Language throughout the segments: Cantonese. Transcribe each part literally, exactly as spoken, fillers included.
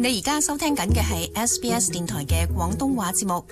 你而家收聽緊嘅係 S B S 電台嘅廣東話節目，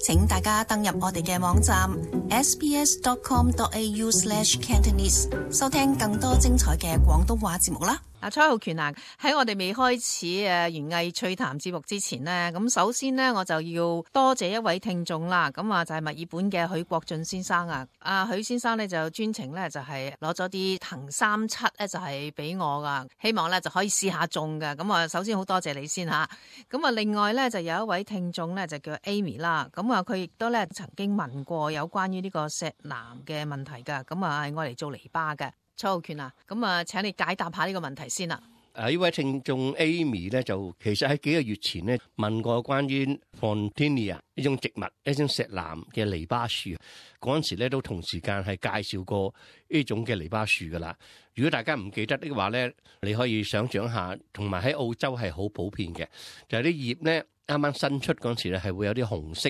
請大家登入我哋嘅網站 s b s dot com dot a u slash cantonese 收聽更多精彩嘅廣東話節目啦。阿蔡浩權啊，喺我哋未開始誒園藝趣談節目之前呢，咁首先呢，我就要多謝一位聽眾啦。咁啊就係墨爾本嘅許國俊先生啊。阿許先生呢，就專程呢，就係攞咗啲藤三七咧就係俾我噶，希望咧就可以試下種噶。咁啊首先好多謝你先吓。咁啊另外咧就有一位聽眾咧就叫 Amy 啦。咁啊佢亦都咧曾經問過有關於呢個石楠嘅問題噶。咁啊係我嚟做籬笆嘅。蔡浩權啊，咁啊，請你解答下呢個問題先啦。啊，呢位聽眾 Amy 咧，就其實喺幾個月前咧問過關於 Fontinia 呢種植物，一種石楠嘅籬笆樹。嗰陣時咧都同時間係介紹過呢種嘅籬笆樹噶啦。如果大家唔記得的話咧，你可以想象下，同埋喺澳洲係好普遍嘅，就係啲葉咧啱啱新出嗰陣時咧係會有啲紅色。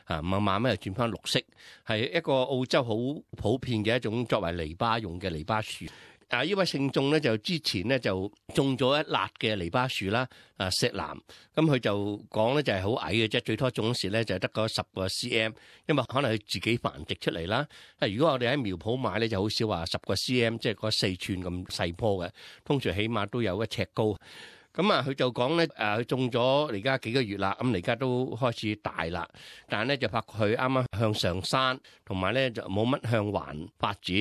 啊，慢慢咧又轉翻綠色，係一個澳洲好普遍嘅一種作為籬笆用嘅籬笆樹。啊，呢位聽眾咧就之前咧就種咗一辣嘅籬笆樹啦，啊石楠。咁佢就講咧就係好矮嘅啫，最初種時咧就係得個十個 cm， 因為可能佢自己繁殖出嚟啦。如果我哋喺苗圃買咧，就好少話十個 cm， 即係個四寸咁細棵嘅，通常起碼都有一尺高。咁啊，佢就講咧，誒，佢種咗而家幾個月啦，咁而家都開始大啦，但係咧就發覺佢啱啱向上山，同埋咧就冇乜向環發展。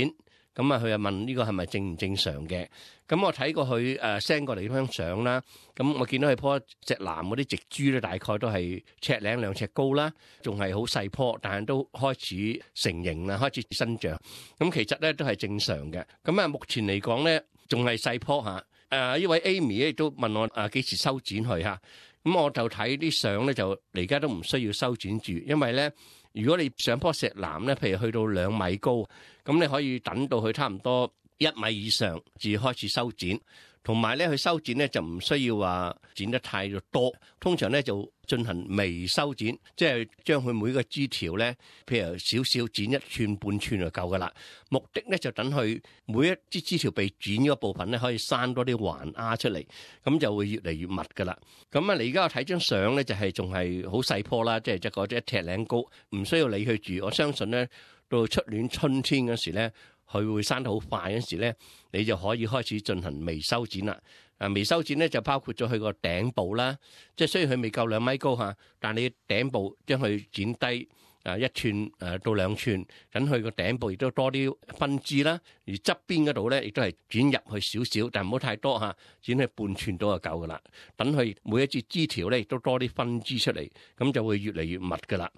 咁啊，佢就問呢個係咪正唔正常嘅？咁我睇過佢誒 send 過嚟張相啦，咁我見到佢棵石楠嗰啲植株咧，大概都係尺零兩尺高啦，仲係好細棵，但係都開始成形啦，開始生長。咁其實咧都係正常嘅。咁啊，目前嚟講咧，仲係細棵嚇。誒呢位 Amy 咧亦都問我誒幾時修剪佢嚇，咁我就睇啲相咧，就而家都唔需要修剪住，因為咧如果你上棵石楠咧，譬如去到兩米高，咁你可以等到佢差唔多一米以上至開始修剪。同埋咧，佢修剪咧就唔需要話剪得太多，通常咧就進行微修剪，即係將佢每個枝條咧，譬如少少剪一寸半寸就夠噶啦。目的咧就等佢每一支枝條被剪嗰部分咧，可以生多啲環丫出嚟，咁就會越嚟越密噶啦。咁啊，你而家我睇張相咧，就係仲係好細棵啦，即係即係嗰隻一尺零高，唔需要理佢住。我相信咧，到出年春天嗰時咧，佢會生得好快嗰時咧，你就可以開始進行微修剪啦。啊，微修剪咧就包括咗佢個頂部啦，即係雖然佢未夠兩米高嚇，但你頂部將佢剪低啊一寸誒到兩寸，等佢個頂部亦都多啲分枝啦。而側邊嗰度咧，亦都係剪入去少少，但唔好太多嚇，剪去半寸到就夠噶啦。等佢每一節枝條咧，亦都多啲分枝出嚟，咁就會越嚟越密噶啦。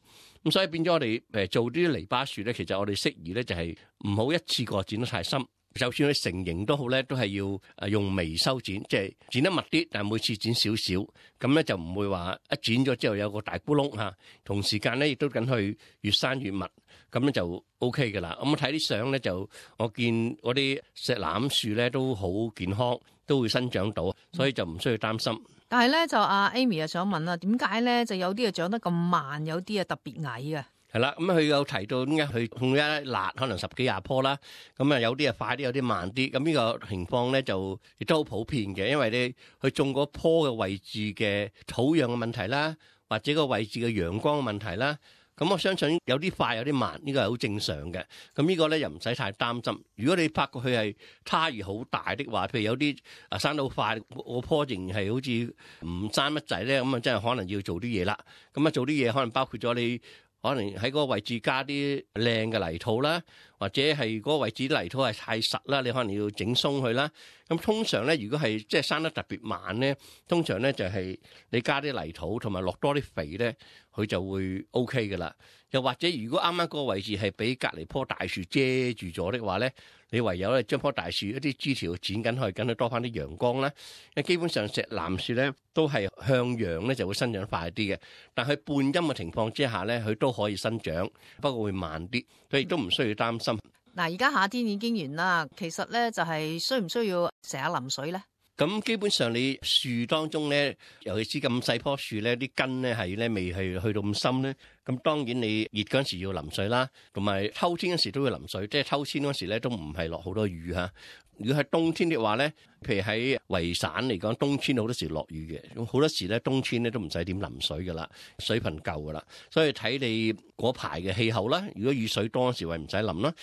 咁所以變咗我哋誒做啲籬笆樹咧，其實我哋適宜咧就係唔好一次過剪得太深，就算佢成形都好咧，都係要誒用微修剪，即係剪得密啲，但係每次剪少少，咁咧就唔會話一剪咗之後有個大咕窿嚇。同時間咧亦都緊去越生越密，咁咧就 O K 㗎啦。咁我睇啲相咧就我見嗰啲石楠樹咧都好健康，都會生長到，所以就唔需要擔心。但係咧就阿 Amy 啊想問啦，點解咧就有啲啊長得咁慢，有啲啊特別矮嘅？係啦，咁佢有提到點解佢種一辣可能十幾廿棵啦，咁啊有啲啊快啲，有啲慢啲。咁呢個情況咧就亦都好普遍嘅，因為你去種嗰棵嘅位置嘅土壤嘅問題啦，或者個位置嘅陽光嘅問題啦。咁我相信有啲快有啲慢，呢個係好正常嘅。咁呢個咧又唔使太擔心。如果你發覺佢係差異好大的話，譬如有啲啊生到快，個棵仍係好似唔生乜仔咧，咁啊真係可能要做啲嘢啦。咁啊做啲嘢可能包括咗你可能喺嗰個位置加啲靚嘅泥土啦，或者係嗰個位置啲泥土係太實啦，你可能要整鬆佢啦。咁通常咧，如果係即係生得特別慢咧，通常咧就係你加啲泥土同埋落多啲肥咧，佢就會 O K 㗎啦。又或者如果啱啱嗰個位置係俾隔離棵大樹遮住咗的話咧，你唯有咧將棵大樹一啲枝條剪緊去，緊去多翻啲陽光啦。因為基本上石楠樹咧都係向陽咧就會生長快啲嘅，但係半陰嘅情況之下咧，佢都可以生長，不過會慢啲，所以都唔需要擔心。嗱，而家夏天已經完啦，其實咧就係需唔需要成日淋水咧？咁基本上你樹當中咧，尤其是咁細棵樹咧，啲根咧係咧未係去到咁深咧。咁當然你熱嗰陣時要淋水啦，同埋秋天嗰時都要淋水。即係秋天嗰時咧都唔係落好多雨嚇，如果喺冬天的話咧，譬如喺維省嚟講，冬天好多時落雨嘅，咁好多時咧冬天咧都唔使點淋水噶啦，水分夠噶啦。所以睇你嗰排嘅氣候啦，如果雨水多嗰時，咪唔使淋啦。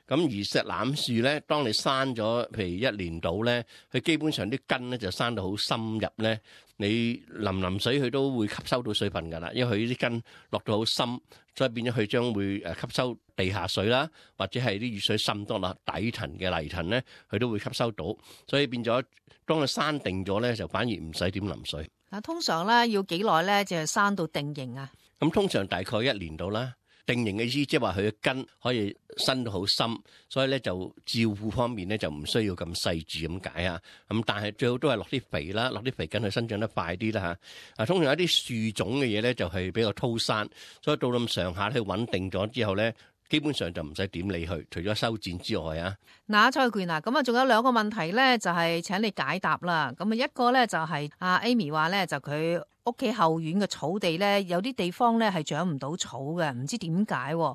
咁而石欖樹咧，當你生咗譬如一年到咧，佢基本上啲根咧就生到好深入咧，你淋淋水佢都會吸收到水分㗎啦，因為佢啲根落到好深，所以變咗佢將會誒吸收地下水啦，或者係啲雨水滲多落底層嘅泥層咧，佢都會吸收到，所以變咗當佢生定咗咧，就反而唔使點淋水。嗱，通常咧要幾耐咧就係生到定型啊？咁通常大概一年到啦。定型嘅意思，即係話佢嘅根可以伸到好深，所以咧就照顧方面咧就唔需要咁細緻咁解啊。咁但係最好都係落啲肥啦，落啲肥根佢生長得快啲啦嚇。啊，通常有啲樹種嘅嘢咧就係比較粗生，所以到咁上下咧穩定咗之後咧，基本上就唔使點理佢，除咗修剪之外啊。嗱，蔡權啊，咁啊仲有兩個問題咧，就係請你解答啦。咁啊一個咧就係阿 Amy 話咧，就佢屋企後院嘅草地咧，有啲地方咧係長唔到草嘅，唔知點解。咁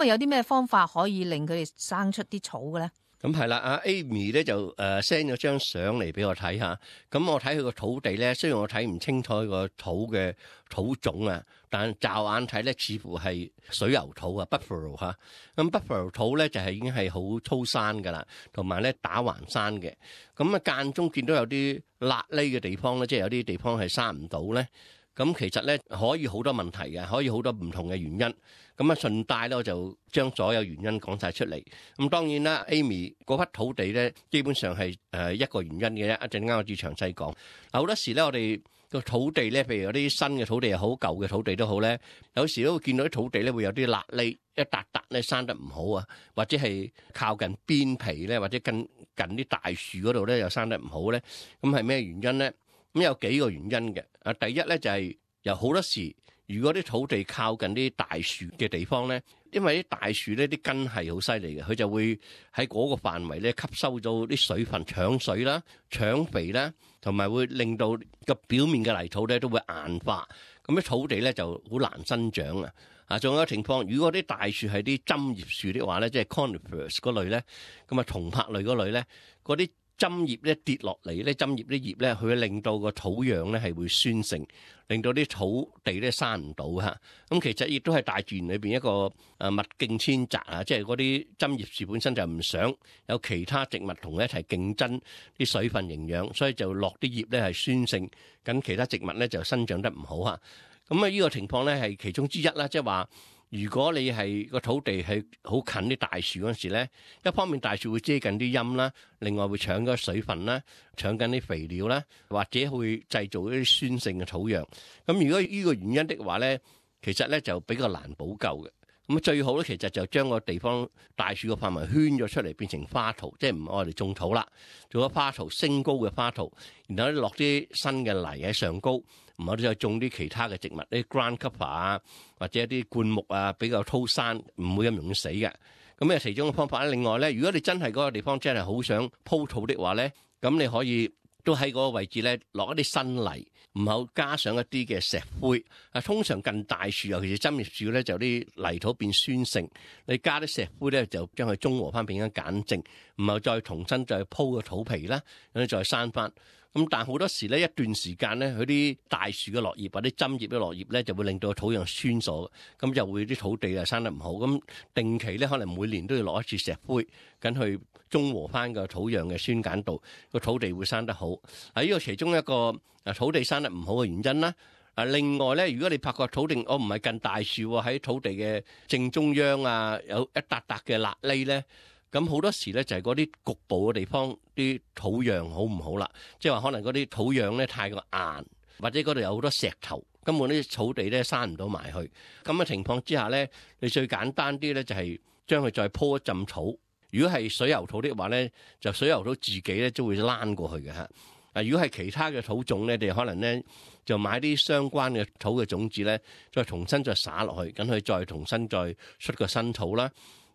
啊有啲咩方法可以令佢哋生出啲草嘅咧？咁係啦，阿 Amy 咧就誒 send 咗張相嚟俾我睇下。咁我睇佢個土地咧，雖然我睇唔清楚佢個土嘅土種啊，但驟眼睇咧似乎係水牛土啊 ，Buffalo 嚇。咁 Buffalo 土咧就係已經係好粗生噶啦，同埋咧打橫生嘅。咁啊間中見到有啲辣痢嘅地方咧，即係有啲地方係生唔到咧。咁其實咧可以好多問題嘅，可以好多唔同嘅原因。咁啊順帶咧我就將所有原因講晒出嚟。咁當然啦 ，Amy 嗰筆土地咧基本上係誒一個原因嘅啫。一陣間我至詳細講。嗱好多時咧我哋個土地咧，譬如有啲新嘅土地又好，舊嘅土地都好咧，有時都會見到啲土地咧會有啲辣痢，一笪笪咧生得唔好啊，或者係靠近邊皮咧，或者近近啲大樹嗰度咧又生得唔好咧。咁係咩原因咧？咁有幾個原因嘅。啊，第一咧就係有好多時，如果啲土地靠近啲大樹嘅地方咧，因為啲大樹咧啲根係好犀利嘅，佢就會喺嗰個範圍咧吸收咗啲水分，搶水啦、搶肥啦，同埋會令到個表面嘅泥土咧都會硬化，咁啲土地咧就好難生長啊！啊，仲有一個情況，如果啲大樹係啲針葉樹的話咧，即係 conifers 嗰類咧，咁啊松柏類嗰類咧，嗰啲針葉咧跌落嚟咧，針葉啲葉咧，佢會令到個土壤咧係會酸性，令到啲土地咧生唔到嚇。咁其實亦都係大自然裏邊一個誒物競天擇啊，即係嗰啲針葉樹本身就唔想有其他植物同佢一齊競爭啲水分營養，所以就落啲葉咧係酸性，咁其他植物咧就生長得唔好嚇。咁啊呢個情況咧係其中之一啦，即係話。如果你係個土地係好近啲大樹嗰陣時咧，一方面大樹會遮緊啲陰啦，另外會搶咗水分啦，搶緊啲肥料啦，或者會製造一啲酸性嘅土壤。咁如果呢個原因的話咧，其實咧就比較難補救嘅。咁最好咧，其實就將個地方大樹個範圍圈咗出嚟，變成花圃，即係唔愛嚟種土啦，做咗花圃，升高嘅花圃，然後咧落啲新嘅泥喺上高。唔好再種啲其他嘅植物，啲 ground cover 啊，或者一啲灌木啊，比較粗生，唔會咁容易死嘅。咁咧，其中嘅方法咧，另外咧，如果你真係嗰個地方真係好想鋪土的話咧，咁你可以都喺嗰個位置咧落一啲新泥，唔好加上一啲嘅石灰。啊，通常近大樹，尤其是針葉樹咧，就啲泥土變酸性，你加啲石灰咧，就將佢中和翻，變咗鹼性，唔係再重新再鋪個土皮啦，咁你再生翻。咁但係好多時咧，一段時間咧，佢啲大樹嘅落葉或者針葉嘅落葉咧，就會令到土壤酸咗，咁就會啲土地啊生得唔好。咁定期咧，可能每年都要落一次石灰，咁去中和翻個土壤嘅酸鹼度，個土地會生得好。啊，呢個其中一個啊土地生得唔好嘅原因啦。啊，另外咧，如果你發覺土地我唔係近大樹喎，喺土地嘅正中央啊，有一笪笪嘅辣痢咧。咁好多時咧就係嗰啲局部嘅地方啲土壤好唔好啦，即係話可能嗰啲土壤咧太過硬，或者嗰度有好多石頭，根本啲草地咧生唔到埋去。咁嘅情況之下咧，你最簡單啲咧就係將佢再鋪一浸草。如果係水牛土的話咧，就水牛土自己咧都會躝過去嘅嚇。啊，如果係其他嘅土種咧，你可能咧就買啲相關嘅土嘅種子咧，再重新再撒落去，咁佢再重新再出個新土啦。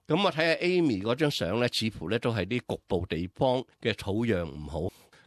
咁我睇下 Amy 嗰張相咧，似乎咧都係啲局部地方嘅土壤唔好。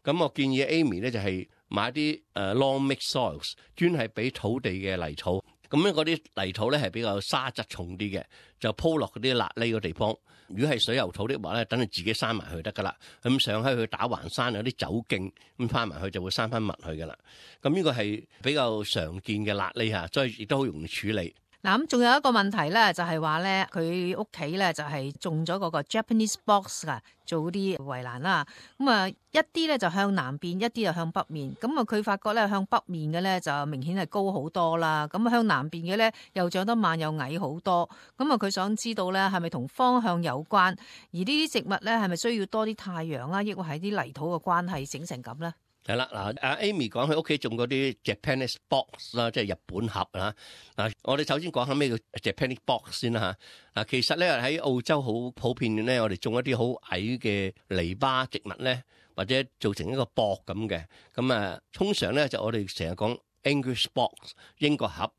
咁我建議 Amy 咧就係買啲誒 long mix soils，專係俾土地嘅泥土。咁咧嗰啲泥土咧係比較沙質重啲嘅，就鋪落嗰啲辣痢嘅地方。如果係水牛土的話咧，等佢自己生埋去得噶啦。咁上喺去打橫山有啲走徑咁翻埋去就會生翻密去噶啦。咁呢個係比較常見嘅辣痢嚇，所以亦都好容易處理。嗱，咁仲有一個問題咧，就係話咧，佢屋企咧就係種咗嗰個 Japanese box 啊，做啲圍欄啦。咁啊，一啲咧就向南邊，一啲就向北面。咁啊，佢發覺咧向北面嘅咧就明顯係高好多啦。咁向南邊嘅咧又長得慢又矮好多。咁啊，佢想知道咧係咪同方向有關？而呢啲植物咧係咪需要多啲太陽啊，抑或係啲泥土嘅關係整成咁咧？係啦，嗱，阿 Amy 講佢屋企種嗰啲 Japanese box 啦，即係日本盒啦。嗱，我哋首先講下咩叫 Japanese box 先啦嚇。嗱，其實咧喺澳洲好普遍嘅咧，我哋種一啲好矮嘅籬笆植物咧，或者做成一個膊咁嘅。咁啊，通常咧就我哋成日講 English box 英國盒。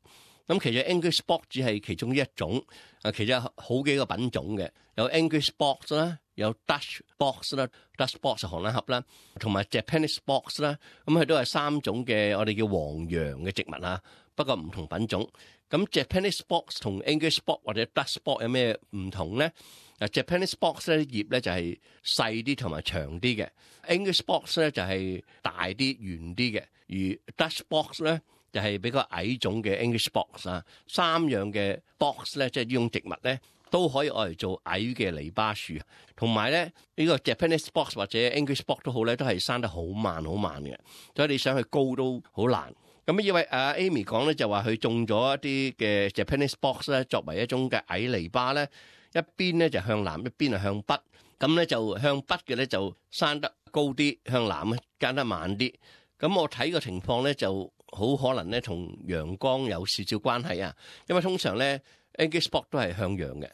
咁其實 English box 只係其中一種，啊，其實有好幾個品種嘅，有 English box 啦，有 Dutch box 啦 ，Dutch box 係荷蘭盒啦，同埋 Japanese box 啦，咁佢都係三種嘅我哋叫黃楊嘅植物啊，不過唔同品種。咁 Japanese box 同 English box 或者 Dutch box 有咩唔同咧？啊 Japanese box 咧葉咧就係細啲同埋長啲嘅 ，English box 咧就係大啲圓啲嘅，而 Dutch box 咧就係比較矮種嘅 English box 啊。三樣嘅 box 咧，即係呢種植物咧，都可以愛嚟做矮嘅籬笆樹，同埋咧呢個 Japanese box 或者 English box 都好咧，都係生得好慢好慢嘅，所以你想去高都好難。咁因為阿 Amy 講咧就話佢種咗一啲嘅 Japanese box 咧，作為一種嘅矮籬笆咧，一邊咧就向南，一邊係向北。咁咧就向北嘅咧就生得高啲，向南咧生得慢啲。咁我睇個情況咧就好可能咧同陽光有少少關係啊。因為通常咧 English box 都係向陽嘅，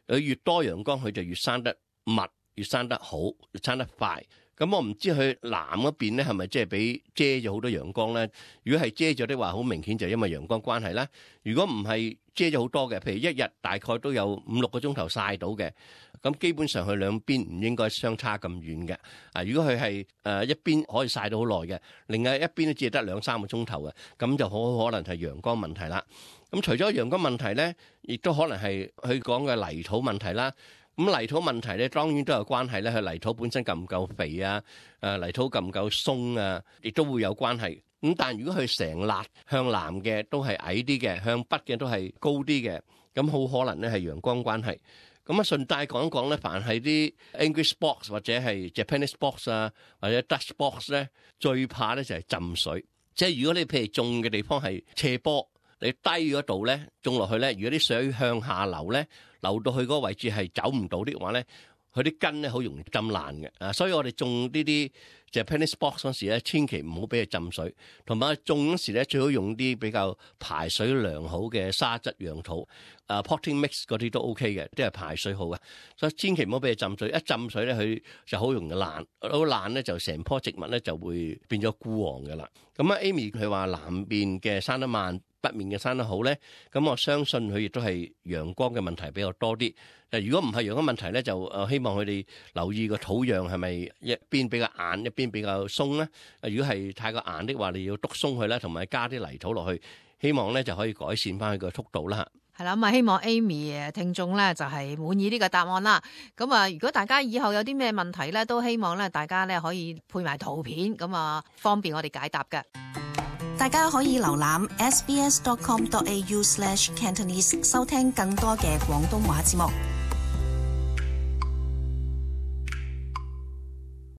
佢越多陽光佢就越生得密，越生得好，越生得快。咁我唔知佢南嗰邊咧係咪即係俾遮咗好多陽光咧？如果係遮咗的話，好明顯就因為陽光關係啦。如果唔係遮咗好多嘅，譬如一日大概都有五六個鐘頭曬到嘅，咁基本上佢兩邊唔應該相差咁遠嘅。啊，如果佢係誒一邊可以曬到好耐嘅，另外一邊都只係得兩三個鐘頭嘅，咁就好可能係陽光問題啦。咁除咗陽光問題咧，亦都可能係佢講嘅泥土問題啦。咁泥土問題咧，當然都有關係咧。佢泥土本身夠唔夠肥啊？誒，泥土夠唔夠鬆啊？亦都會有關係。咁但係如果佢成笪向南嘅都係矮啲嘅，向北嘅都係高啲嘅，咁好可能咧係陽光關係。咁啊，順帶講一講咧，凡係啲 English box 或者係 Japanese box 啊，或者 Dutch box 咧，最怕咧就係浸水。即係如果你譬如種嘅地方係斜坡，你低嗰度咧種落去咧，如果啲水向下流咧，流到去嗰個位置係走唔到的話咧，佢啲根咧好容易浸爛嘅啊！所以我哋種呢啲 Japanese box 嗰時咧，千祈唔好俾佢浸水，同埋種嗰時咧最好用啲比較排水良好嘅沙質養土，啊 potting mix 嗰啲都 OK 嘅，都係排水好嘅。所以千祈唔好俾佢浸水，一浸水咧佢就好容易爛，好爛咧就成棵植物咧就會變咗枯黃嘅啦。咁啊 Amy 佢話南邊嘅生得慢，北面嘅生得好咧，咁我相信佢亦都係陽光嘅問題比較多啲。誒，如果唔係陽光問題咧，就誒希望佢哋留意個土壤係咪一邊比較硬，一邊比較鬆咧。誒，如果係太過硬的話，你要篤鬆佢啦，同埋加啲泥土落去，希望咧就可以改善翻佢個速度啦。係啦，咁啊希望 Amy 誒聽眾咧就係滿意呢個答案啦。咁啊，如果大家以後有啲咩問題咧，都希望咧大家咧可以配埋圖片，咁啊方便我哋解答嘅。大家可以瀏覽 s b s dot com dot a u slash cantonese 收聽更多嘅廣東話節目。